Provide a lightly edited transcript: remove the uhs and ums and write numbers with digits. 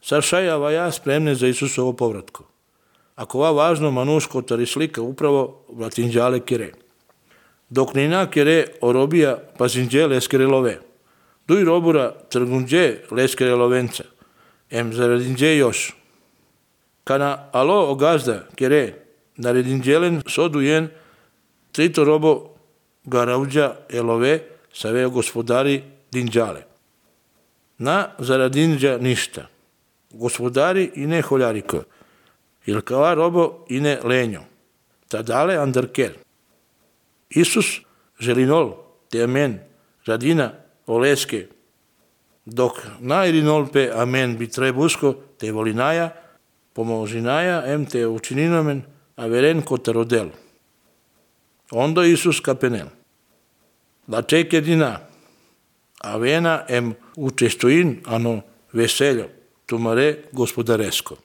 Saršajava ja spremne za Isusovo povratko. Ako va važno manuško tari slika upravo vlatinđale kire. Dok nina kire orobija pazinđe leskere love. Duj robura trgunđe leskere lovenca. Zaradinđe još. Kana alo ogazda kire naredinđelen sodujen trito robo garauđa elove saveo gospodari dinđale. Na zaradinđa ništa. Gospodari i ne holjariko. Il kava robo i ne lenjo. Tadale andarker. Isus želinol te amen radina oleske. Dok na irinol pe amen bi trebusko te volinaja pomožinaja te učininomen averen kotarodel. Ondo Isus kapenel. La čeke dina avena učestoin ano veseljo tumare gospodaresko.